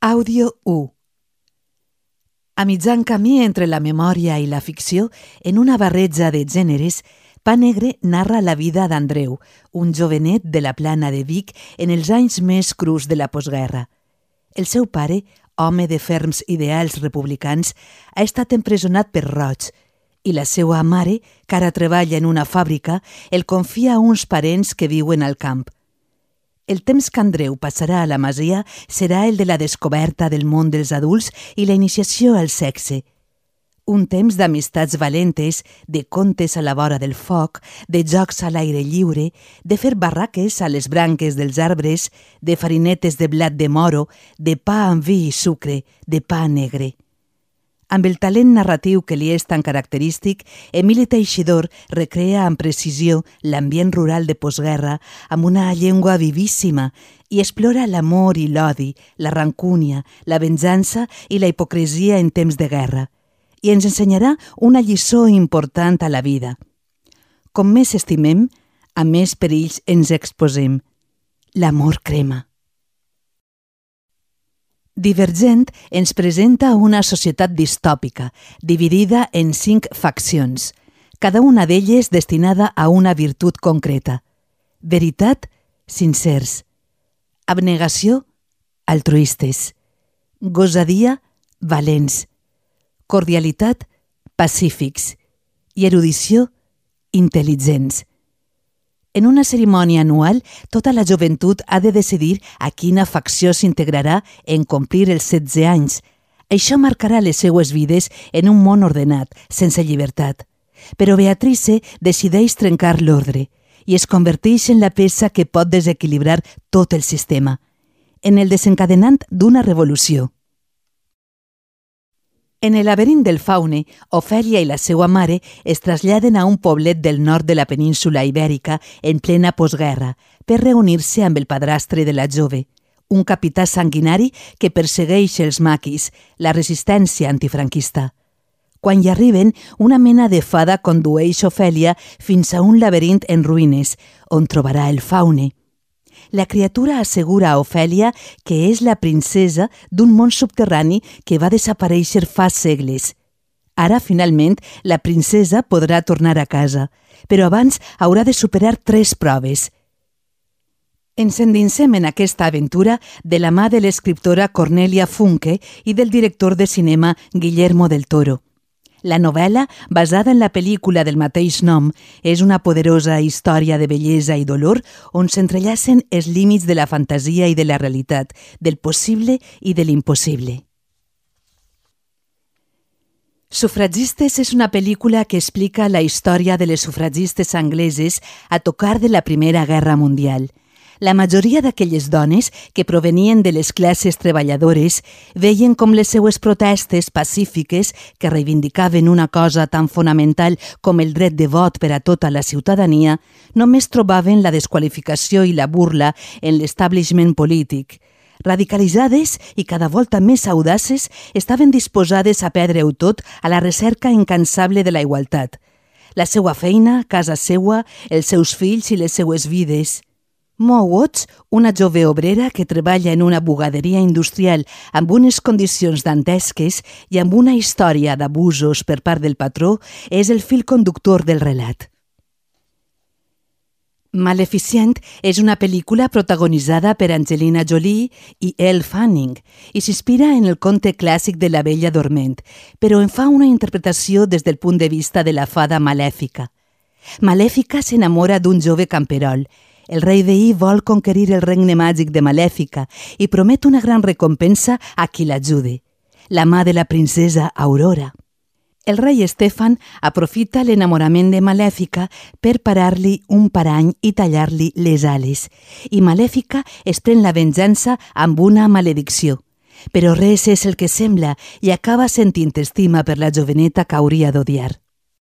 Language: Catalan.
Àudio 1. A mitjan camí entre la memòria i la ficció, en una barreja de gèneres, Pa Negre narra la vida d'Andreu, un jovenet de la Plana de Vic en els anys més crus de la postguerra. El seu pare, home de ferms ideals republicans, ha estat empresonat per roig i la seva mare, que ara treballa en una fàbrica, el confia a uns parents que viuen al camp. El temps que Andreu passarà a la masia serà el de la descoberta del món dels adults i la iniciació al sexe. Un temps d'amistats valentes, de contes a la vora del foc, de jocs a l'aire lliure, de fer barraques a les branques dels arbres, de farinetes de blat de moro, de pa amb vi i sucre, de pa negre. Amb el talent narratiu que li és tan característic, Emili Teixidor recrea amb precisió l'ambient rural de postguerra amb una llengua vivíssima i explora l'amor i l'odi, la rancúnia, la venjança i la hipocresia en temps de guerra. I ens ensenyarà una lliçó important a la vida. Com més estimem, a més perills ens exposem. L'amor crema. Divergent ens presenta una societat distòpica, dividida en 5 faccions, cada una d'elles destinada a una virtut concreta. Veritat, sincers. Abnegació, altruistes. Gosadia, valents. Cordialitat, pacífics. I erudició, intel·ligents. En una cerimònia anual, tota la joventut ha de decidir a quina facció s'integrarà en complir els 16 anys. Això marcarà les seues vides en un món ordenat, sense llibertat. Però Beatrice decideix trencar l'ordre i es converteix en la peça que pot desequilibrar tot el sistema, en el desencadenant d'una revolució. En el laberint del Faune, Ofèlia i la seva mare es traslladen a un poblet del nord de la península ibèrica en plena postguerra per reunir-se amb el padrastre de la jove, un capità sanguinari que persegueix els maquis, la resistència antifranquista. Quan hi arriben, una mena de fada condueix Ofèlia fins a un laberint en ruïnes, on trobarà el Faune. La criatura assegura a Ofèlia que és la princesa d'un món subterrani que va desaparèixer fa segles. Ara, finalment, la princesa podrà tornar a casa, però abans haurà de superar 3 proves. Ens endinsem en aquesta aventura de la mà de l'escriptora Cornelia Funke i del director de cinema Guillermo del Toro. La novel·la, basada en la pel·lícula del mateix nom, és una poderosa història de bellesa i dolor on s'entrellacen els límits de la fantasia i de la realitat, del possible i de l'impossible. Sufragistes és una pel·lícula que explica la història de les sufragistes angleses a tocar de la Primera Guerra Mundial. La majoria d'aquelles dones, que provenien de les classes treballadores, veien com les seues protestes pacífiques, que reivindicaven una cosa tan fonamental com el dret de vot per a tota la ciutadania, només trobaven la desqualificació i la burla en l'establishment polític. Radicalitzades i cada volta més audaces, estaven disposades a perdre-ho tot a la recerca incansable de la igualtat. La seua feina, casa seua, els seus fills i les seues vides. Mo Watts, una jove obrera que treballa en una bugaderia industrial amb unes condicions dantesques i amb una història d'abusos per part del patró, és el fil conductor del relat. Maleficent és una pel·lícula protagonitzada per Angelina Jolie i Elle Fanning i s'inspira en el conte clàssic de la Bella Dorment, però en fa una interpretació des del punt de vista de la fada Malèfica. Malèfica s'enamora d'un jove camperol. El rei veí vol conquerir el regne màgic de Malèfica i promet una gran recompensa a qui l'ajude, la mà de la princesa Aurora. El rei Estefan aprofita l'enamorament de Malèfica per parar-li un parany i tallar-li les ales, i Malèfica es pren la venjança amb una maledicció. Però res és el que sembla i acaba sentint estima per la joveneta que hauria d'odiar.